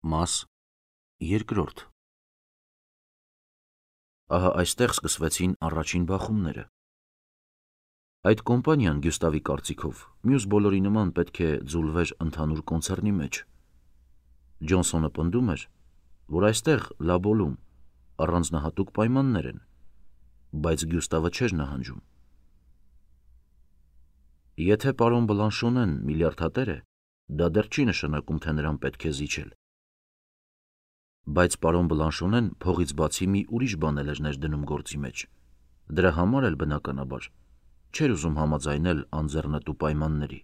Մաս երկրորդ։ Ահա այստեղ սկսվեցին առաջին բախումները։ Այդ կոմպանիան Գյուստավի կարծիքով մյուս բոլորի նման պետք է ձուլվեր ընդհանուր կոնցեռնի մեջ։ Ջոնսոնը պնդում էր, որ այստեղ լաբոլում առանձնահատուկ պայմաններ են, բայց Գյուստավը չէր նահանջում։ Եթե պարոն Բլանշոնեն միլիարդատեր է, դա դեռ չի նշանակում, թե նրան պետք է զիջել։ Բայց պարոն Բլանշոնեն փողից բացի մի ուրիշ բան էր ներդնում գործի մեջ, դրա համար էլ բնականաբար չէր ուզում համաձայնել անձեռնտու պայմանների։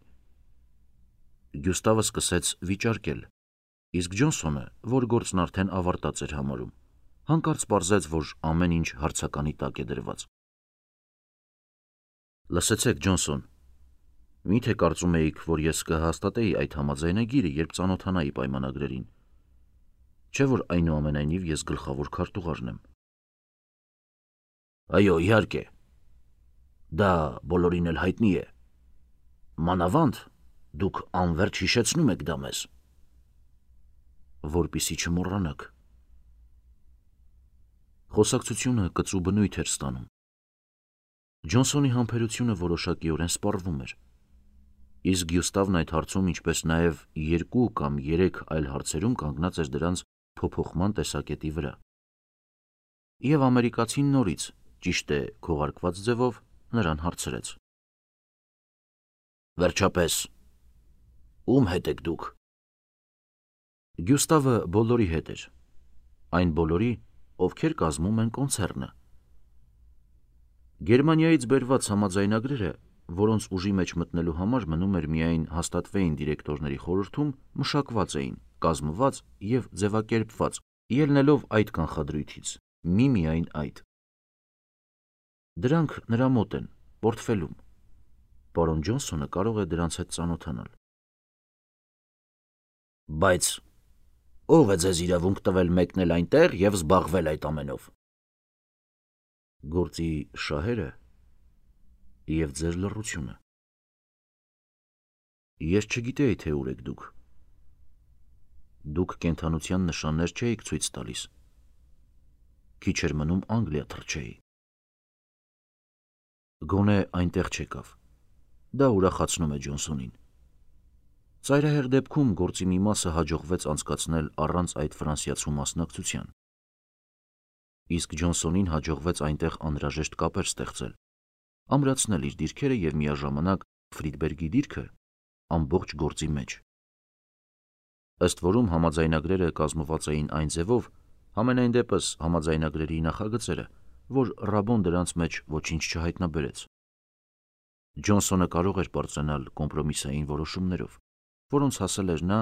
Գյուստավը սկսեց վիճարկել, իսկ Ջոնսոնը, որ գործն արդեն ավարտած էր համարում, հանկարծ պարզեց, որ ամեն ինչ հարցականի տակ է դրված։ Լսեցեք, Ջոնսոն, միթե կարծում էիք, որ ես կհաստատեի այդ համաձայնագիրը, երբ ծանոթանայի պայմանագրերին, չէ՞ որ այնուամենայնիվ ես գլխավոր քարտուղարն եմ։ Այո, իհարկե, դա բոլորին էլ հայտնի է։ Մանավանդ դուք անվերջ հիշեցնում եք դա մեզ։ Որպեսզի չմոռանաք։ Խոսակցությունը կծու բնույթ էր ստանում։ Ջոնսոնի համբերությունը որոշակիորեն սպառվում էր, իսկ Գյուստավն այդ հարցում, ինչպես նաև 2 կամ 3 այլ հարցերում կանգնած էր դրանց փոփոխման տեսակետի վրա։ Եվ ամերիկացին նորից, ճիշտ է, քողարկված ձևով նրան հարցրեց. Վերջապես, ում հետ եք դուք։ Գյուստավը բոլորի հետ էր, այն բոլորի, ովքեր կազմում են կոնցեռնը։ Գերմանիայից բերված համաձայնագրերը, որոնց ուժի մեջ մտնելու համար մնում էր միայն հաստատվեին դիրեկտորների խորհրդում, մշակված էին, կազմված և ձևակերպված, ելնելով այդ կանխադրույթից, միմիայն այդ։ Դրանք նրա մոտ են, պորտֆելում։ Պարոն Ջոնսոնը կարող է դրանց հետ ծանոթանալ։ Բայց ո՞վ է ձեզ իրավունք տվել մեկնել այնտեղ և զբաղվել այդ ամենով։ Գործի շահերը և ձեր լռությունը։ Ես չգիտեի, թե ուր եք դուք։ Դուք կենդանության նշաններ չէիք ցույց տալիս։ Քիչ էր մնում Անգլիա թռչեի։ Գոնե այնտեղ չեկավ։ Դա ուրախացնում է Ջոնսոնին։ Ծայրահեղ դեպքում գործի մի մասը հաջողվեց անցկացնել առանց այդ ֆրանսիացու մասնակցության։ Իսկ Ջոնսոնին հաջողվեց այնտեղ անհրաժեշտ կապեր ստեղծել, ամրացնել իր դիրքերը և միաժամանակ Ֆրիդբերգի դիրքը ամբողջ գործի մեջ։ Ըստ որում համաձայնագրերը կազմված էին այն ձևով, համենայն դեպս համաձայնագրերի նախագծերը, որ Ռաբոն դրանց մեջ ոչինչ չհայտնաբերեց։ Ջոնսոնը կարող էր պարծենալ կոմպրոմիսային որոշումներով, որոնց հասել էր նա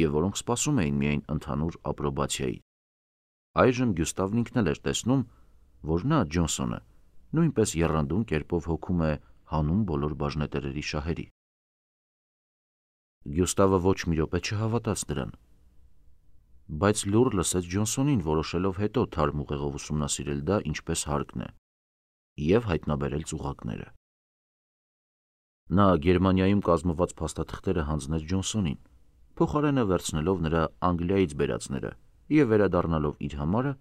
և որոնք սպասում էին միայն ընդհանուր ապրոբացիայի։ Այժմ Գյուստավն ինքն էլ էր տեսնում, որ նա, Ջոնսոնը, նույնպես եռանդուն կերպով հոգում է հանուն բոլոր բաժնետերերի շահերի։ Գյուստավը ոչ մի րոպե չհավատաց դրան, բայց լուռ լսեց Ջոնսոնին, որոշելով հետո թարմ ուղեղով ուսումնասիրել դա ինչպես հարկն է և հայտնաբերել ծուղակները։ Նա Գերմանիայում կազմված փաստաթղթերը հանձնեց Ջոնսոնին, փոխարենը վերցնելով նրա Անգլիայից բերածները և վերադառնալով իր համարը,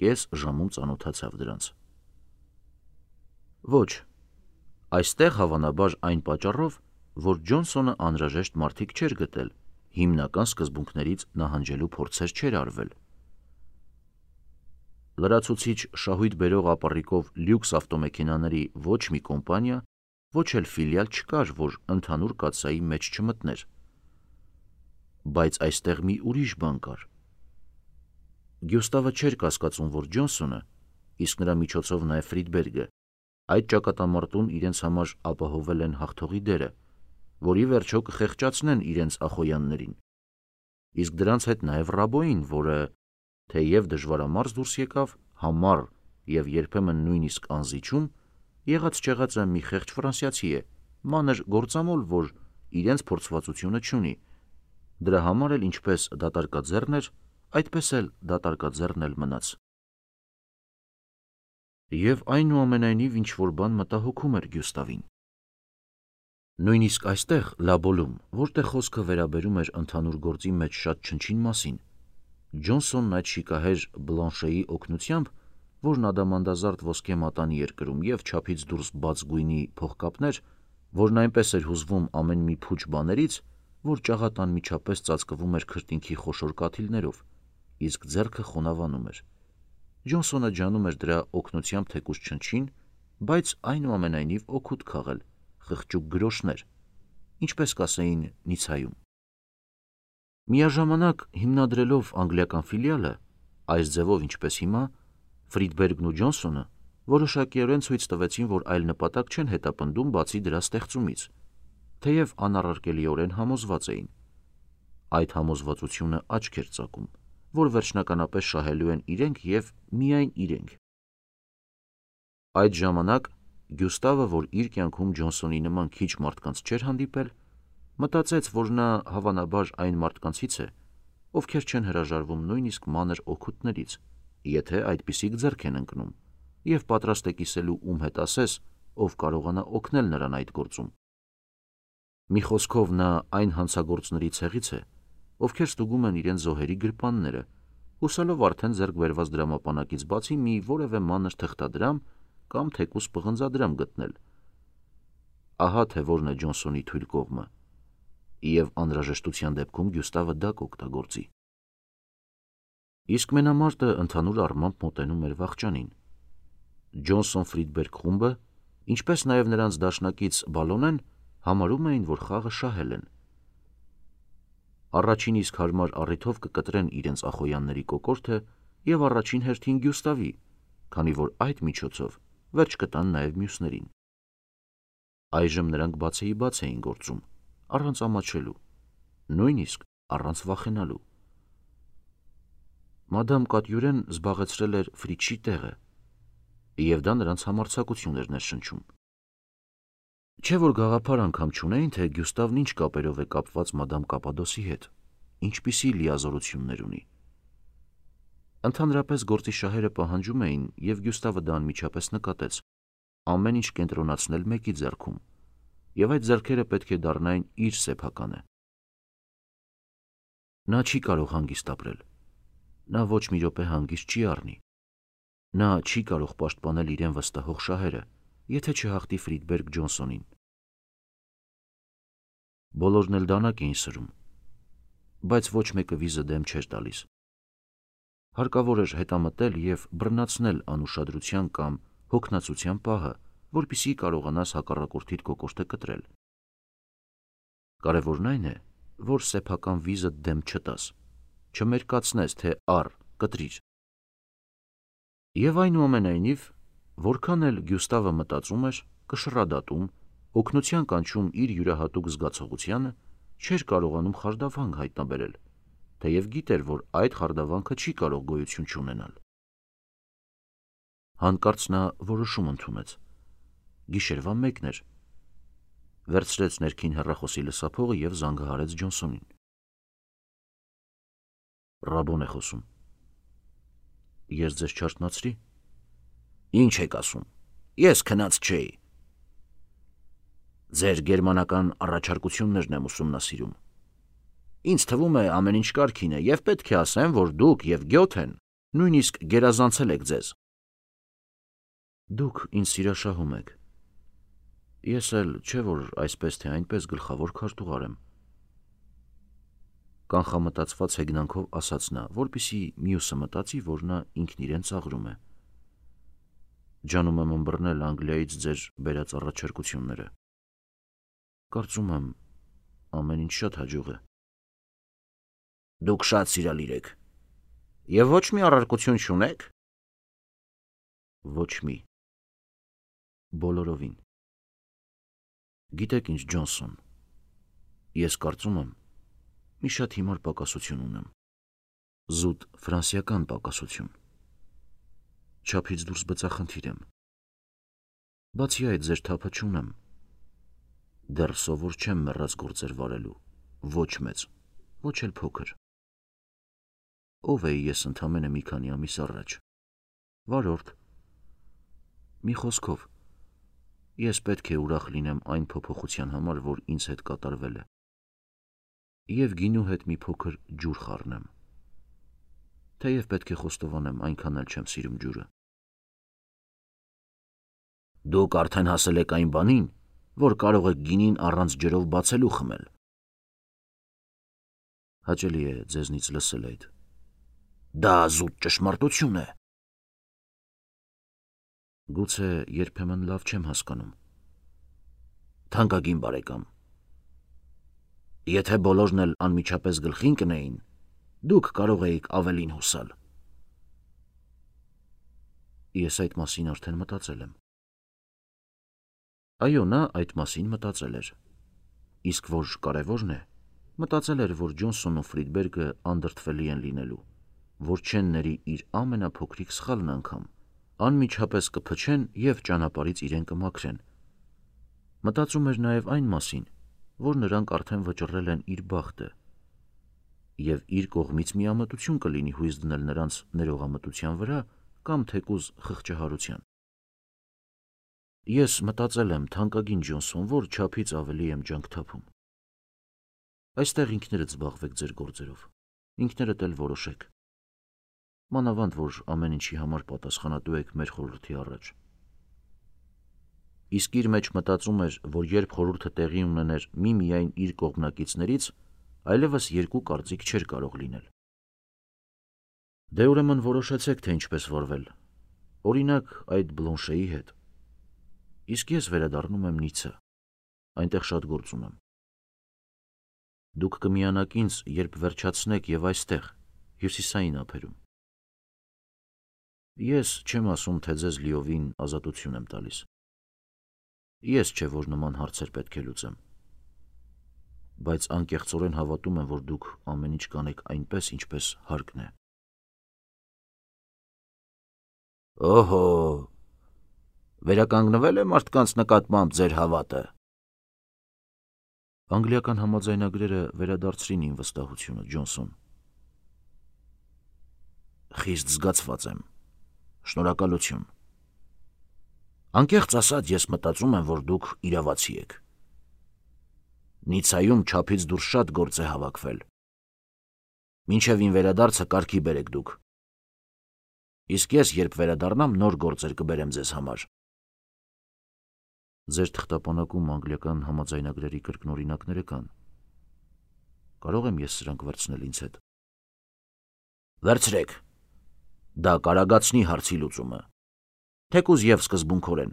կես ժամում ծանոթացավ դրանց։ Ոչ, այստեղ հավանաբար այն պատճառով, որ Ջոնսոնը անհրաժեշտ մարդիկ չէր գտել, հիմնական սկզբունքներից նահանջելու փորձեր չէր արվել։ Լրացուցիչ շահույթ բերող ապառիկով լյուքս ավտոմեքենաների ոչ մի կոմպանիա, ոչ էլ ֆիլիալ չկար, որ ընդհանուր կաթսայի մեջ չմտներ։ Բայց այստեղ մի ուրիշ բան կար։ Գյուստավը չէր կասկածում, որ Ջոնսոնը, իսկ նրա միջոցով նաև Ֆրիդբերգը, այդ ճակատամարտում իրենց համար ապահովել են հաղթողի դերը, որի վերջո կխեղճացնեն իրենց ախոյաններին, իսկ դրանց հետ նաև Ռաբոյին, որը, թեև դժվարամարս դուրս եկավ, համառ և երբեմն նույնիսկ անզիջում, եղած-չեղածը մի խեղճ ֆրանսիացի է, մանր գործամոլ, որ իրենց փորձվածությունը չունի, դրա համար էլ ինչպես դատարկաձեռն էր, այդպես էլ դատարկաձեռն էլ մնաց։ Եվ այնուամենայնիվ ինչ-որ բան մտահոգում էր Գյուստավին։ Նույնիսկ այստեղ, լաբոլում, որտեղ խոսքը վերաբերում էր ընդհանուր գործի մեջ շատ չնչին մասին, Ջոնսոնն այդ շիկահեր Բլանշեի օգնությամբ, որն ադամանդազարդ ոսկե մատանի էր կրում և չափից դուրս բաց գույնի փողկապներ, որն այնպես էր հուզվում ամեն մի փուչ բաներից, որ ճաղատ անմիջապես ծածկվում էր քրտինքի խոշոր կաթիլներով, իսկ ձեռքը խոնավանում էր։ Ջոնսոնը ջանում էր դրա օգնությամբ թեկուզ չնչին, բայց այնուամենայնիվ օգուտ քաղել, խղճուկ գրոշներ, ինչպես կասեին Նիցայում։ Միաժամանակ հիմնադրելով անգլիական ֆիլիալը, այս ձևով ինչպես հիմա, Ֆրիդբերգն ու Ջոնսոնը որոշակիորեն ցույց տվեցին, որ այլ նպատակ չեն հետապնդում բացի դրա ստեղծումից, թեև անառարկելիորեն համոզված էին։ Այդ համոզվածությունը աչք էր ծակում, որ վերջնականապես շահելու են իրենք և միայն իրենք։ Այդ ժամանակ Գյուստավը, որ իր կյանքում Ջոնսոնի նման քիչ մարդկանց չէր հանդիպել, մտածեց, որ նա հավանաբար այն մարդկանցից է, ովքեր չեն հրաժարվում նույնիսկ մանր օգուտներից, եթե այդպիսիք ձեռք են ընկնում, և պատրաստ է կիսելու ում հետ ասես, ով կարողանա օգնել նրան այդ գործում։ Մի խոսքով նա այն հանցագործների ցեղից է, ովքեր ստուգում են իրենց զոհերի գրպանները, հուսալով արդեն ձեռք բերված դրամապանակից բացի մի որևէ մանր թղթադրամ կամ թեկուզ պղնձադրամ գտնել։ Ահա թե որն է Ջոնսոնի թույլ կողմը, և անհրաժեշտության դեպքում Գյուստավը դա կօգտագործի։ Իսկ մենամարտը ընդհանուր առմամբ մոտենում էր վախճանին։ Ջոնսոն-Ֆրիդբերգ խումբը, ինչպես նաև նրանց դաշնակից Բալոնեն, համարում էին, որ խաղը շահել են։ Առաջին իսկ հարմար առիթով կկտրեն իրենց ախոյանների կոկորդը և առաջին հերթին Գյուստավի, քանի որ այդ միջոցով վերջ կտան նաև մյուսներին։ Այժմ նրանք բացեիբաց էին գործում, առանց ամաչելու, նույնիսկ առանց վախենալու։ Մադամ Կատյուրեն զբաղեցրել էր Ֆրիչի տեղը, և դա նրանց համարձակություն էր ներշնչում։ Չէ՞ որ գաղափար անգամ չունեին, թե Գյուստավն ինչ կապերով է կապված մադամ Կապադոսի հետ, ինչպիսի լիազորություններ ունի։ Ընդհանրապես գործի շահերը պահանջում էին, և Գյուստավը դա անմիջապես նկատեց, ամեն ինչ կենտրոնացնել մեկի ձեռքում, և այդ ձեռքերը պետք է դառնային իր սեփականը։ Նա չի կարող հանգիստ ապրել, նա ոչ մի րոպե հանգիստ չի առնի, նա չի կարող պաշտպանել իրեն վստահող շահերը, եթե չհաղթի Ֆրիդբերգ Ջոնսոնին։ Բոլորն էլ դանակ էին սրում, բայց ոչ մեկը վիզը դեմ չէր տալիս։ Հարկավոր էր հետամտել և բռնացնել անուշադրության կամ հոգնածության պահը, որպեսզի կարողանաս հակառակորդիդ կոկորդը կտրել։ Կարևորն այն է, որ սեփական վիզը դեմ չտաս, չմերկացնես, թե առ, կտրիր։ Եվ այնուամենայնիվ, որքան էլ Գյուստավը մտածում էր, կշռադատում, օգնության կանչում իր յուրահատուկ զգացողությանը, չէր կարողանում խարդավանք հայտնաբերել, թեև գիտեր, որ այդ խարդավանքը չի կարող գոյություն չունենալ։ Հանկարծ նա որոշում ընդունեց։ Գիշերվա 1-ն էր։ Վերցրեց ներքին հեռախոսի լսափողը և զանգահարեց Ջոնսոնին։ Ռաբոն է խոսում։ Ես ձեզ չարթնացրի։ Ինչ եք ասում, ես քնած չէի։ Ձեր գերմանական առաջարկություններն եմ ուսումնասիրում։ Ինձ թվում է ամեն ինչ կարգին է, և պետք է ասեմ, որ դուք և Գյոթեն նույնիսկ գերազանցել եք ձեզ։ Դուք ինձ սիրաշահում եք։ Ես էլ չէ որ այսպես թե այնպես գլխավոր քարտուղար եմ։ Կանխամտածված հեգնանքով ասաց նա, որպեսզի մյուսը մտածի, որ նա ինքն իրեն ծաղրում է։ Ջանում եմ ըմբռնել Անգլիայից ձեր բերած առաջարկությունները։ Կարծում եմ, ամեն ինչ շատ հաջող է։ Դուք շատ սիրալիր եք։ Եվ ոչ մի առարկություն չունեք։ Ոչ մի։ Բոլորովին։ Գիտեք ինչ, Ջոնսոն, ես կարծում եմ, մի շատ հիմար պակասություն ունեմ։ Զուտ ֆրանսիական պակասություն։ Չափից դուրս բծախնդիր եմ։ Բացի այդ, ձեր թափը չունեմ։ Դեռ սովոր չեմ մեռած գործեր վարելու, ոչ մեծ, ոչ էլ փոքր։ Ով էի ես ընդամենը մի քանի ամիս առաջ։ Վարորդ։ Մի խոսքով, ես պետք է ուրախ լինեմ այն փոփոխության համար, որ ինձ հետ կատարվել է, և գինու հետ մի փոքր ջուր խառնեմ։ թեև պետք է խոստովանեմ, այնքան էլ չեմ սիրում ջուրը։ Դուք արդեն հասել եք այն բանին, որ կարող եք գինին առանց ջրով բացելու խմել։ Հաճելի է ձեզնից լսել այդ։ Դա զուտ ճշմարտություն է։ Գուցե երբեմն լավ չեմ հասկանում։ Թանկագին բարեկամ, եթե բոլորն էլ անմիջապես գլխին կնեին, դուք կարող էիք ավելին հուսալ։ Ես այդ մասին արդեն մտածել եմ։ Այո, նա այդ մասին մտածել էր։ Իսկ որ կարևորն է, մտածել էր, որ Ջոնսոնն ու Ֆրիդբերգը անդրդվելի են լինելու, որ չեն ների իր ամենափոքրիկ սխալն անգամ, անմիջապես կփչեն և ճանապարհից իրեն կմաքրեն։ Մտածում էր նաև այն մասին, որ նրանք արդեն վճռել են իր բախտը, և իր կողմից միամտություն կլինի հույս դնել նրանց ներողամտության վրա կամ թեկուզ խղճահարության։ Ես մտածել եմ, թանկագին Ջոնսոն, որ չափից ավելի եմ ջանք թափում։ Այստեղ ինքներդ զբաղվեք ձեր գործերով, ինքներդ էլ որոշեք։ Մանավանդ, որ ամեն ինչի համար պատասխանատու եք մեր խորհրդի առաջ։ Իսկ իր մեջ մտածում էր, որ երբ խորհուրդը տեղի ունեներ միմիայն իր կողմնակիցներից, այլևս երկու կարծիք չէր կարող լինել։ Դե ուրեմն որոշեցեք, թե ինչպես վարվել։ Օրինակ, այդ Բլոնշեի հետ։ Իսկ ես վերադառնում եմ Նիցա, այնտեղ շատ գործ ունեմ։ Դուք կմիանաք ինձ, երբ վերջացնեք և այստեղ, հյուսիսային ափերում։ Ես չեմ ասում, թե ձեզ լիովին ազատություն եմ տալիս։ Ես չէ, որ նման հարցեր պետք է լուծեմ։ Բայց անկեղծորեն հավատում եմ, որ դուք ամեն ինչ կանեք այնպես, ինչպես հարկն է։ Օհո, վերականգնվել է մարդկանց նկատմամբ ձեր հավատը։ Անգլիական համաձայնագրերը վերադարձրին իմ վստահությունը, Ջոնսոն։ Խիստ զգացված եմ։ Շնորհակալություն։ Անկեղծ ասած, ես մտածում եմ, որ դուք իրավացի եք։ Նիցայում չափից դուրս շատ գործ է հավաքվել։ Մինչև իմ վերադարձը կարգի բերեք դուք։ Իսկ ես, երբ վերադառնամ, նոր գործեր կբերեմ ձեզ համար։ Ձեր թղթապանակում անգլիական համաձայնագրերի կրկնօրինակները կան։ Կարող եմ ես սրանք վերցնել ինձ հետ։ Վերցրեք։ Դա կարագացնի հարցի լուծումը, թեկուզ և սկզբունքորեն։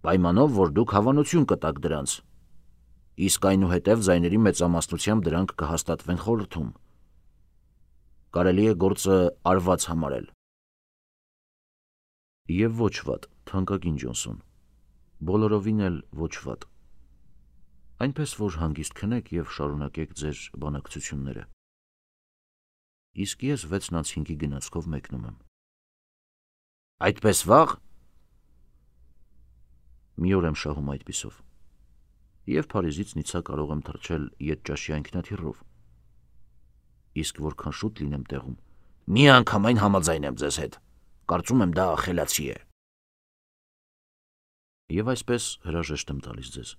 Պայմանով, որ դուք հավանություն կտաք դրանց, իսկ այնուհետև ձայների մեծամասնությամբ դրանք կհաստատվեն խորհրդում։ Կարելի է գործը արված համարել։ Եվ ոչ վատ, թանկագին Ջոնսոն, բոլորովին էլ ոչ վատ։ Այնպես որ հանգիստ քնեք և շարունակեք ձեր բանակցությունները։ Իսկ ես 6:05-ի գնացքով մեկնում եմ։ Այդպես վաղ։ Մի օր եմ շահում այդպիսով։ Եվ Փարիզից Նիցա կարող եմ թռչել ետճաշի այնքնաթիռով։ Իսկ որքան շուտ լինեմ տեղում, միանգամայն համաձայն եմ ձեզ հետ։ Կարծում եմ դա խելացի է։ Եվ այսպես հրաժեշտ եմ տալիս ձեզ։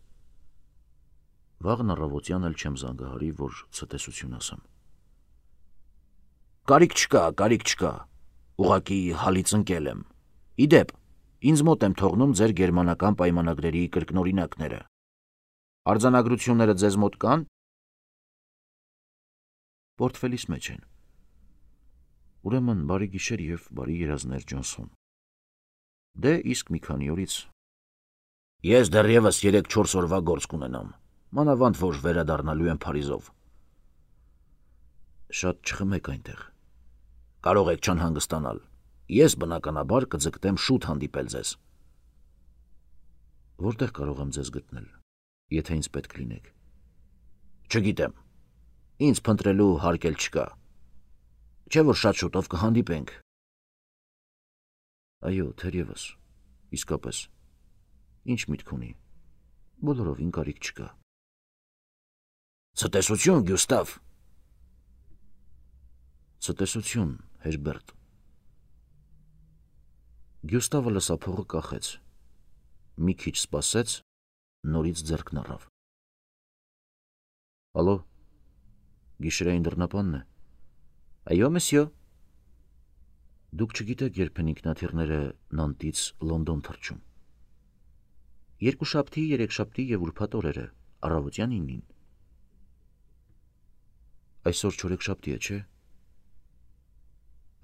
Վաղն առավոտյան էլ չեմ զանգահարի, որ ցտեսություն ասեմ։ Կարիք չկա, ուղղակի հալից ընկել եմ։ Իդեպ, ինձ մոտ եմ թողնում ձեր գերմանական պայմանագրերի կրկնօրինակները։ Արձանագրությունները ձեզ մոտ կան։ Պորտֆելիս մեջ են։ Ուրեմն բարի գիշեր և բարի երազներ, Ջոնսոն։ Դե իսկ մի քանի օրից։ Ես դեռևս 3-4 օրվա գործ կունենամ, մանավանդ որ վերադառնալու եմ Փարիզով։ Շատ չխմեք այնտեղ։ Կարող եք չանհանգստանալ։ Ես բնականաբար կձգտեմ շուտ հանդիպել ձեզ։ Որտեղ կարող եմ ձեզ գտնել, եթե ինձ պետք լինեք։ Չգիտեմ։ Ինձ փնտրելու հարկ էլ չկա։ Չէ՞ որ շատ շուտով կհանդիպենք։ Այո, թերևս, իսկապես։ Ինչ միտք ունի։ Բոլորովին կարիք չկա։ Ցտեսություն, Գյուստավ։ Ցտեսություն, Հերբերտ։ Գյուստավը լսափողը կախեց։ Մի քիչ սպասեց, նորից ձեռքն առավ։ Ալո, գիշերային դռնապանն է։ Այո, մսյո։ Դուք չգիտեք, երբ են ինքնաթիռները Նանտից Լոնդոն թռչում։ Երկուշաբթի, երեքշաբթի և ուրբաթ օրերը, առավոտյան 9-ին։ Այսօր չորեքշաբթի է, չէ՞։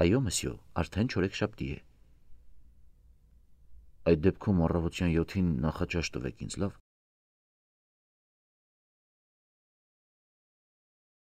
Այո, մսյո, արդեն չորեքշաբթի է։ Այդ դեպքում առավոտյան 7-ին նախաճաշ տվեք ինձ, լավ։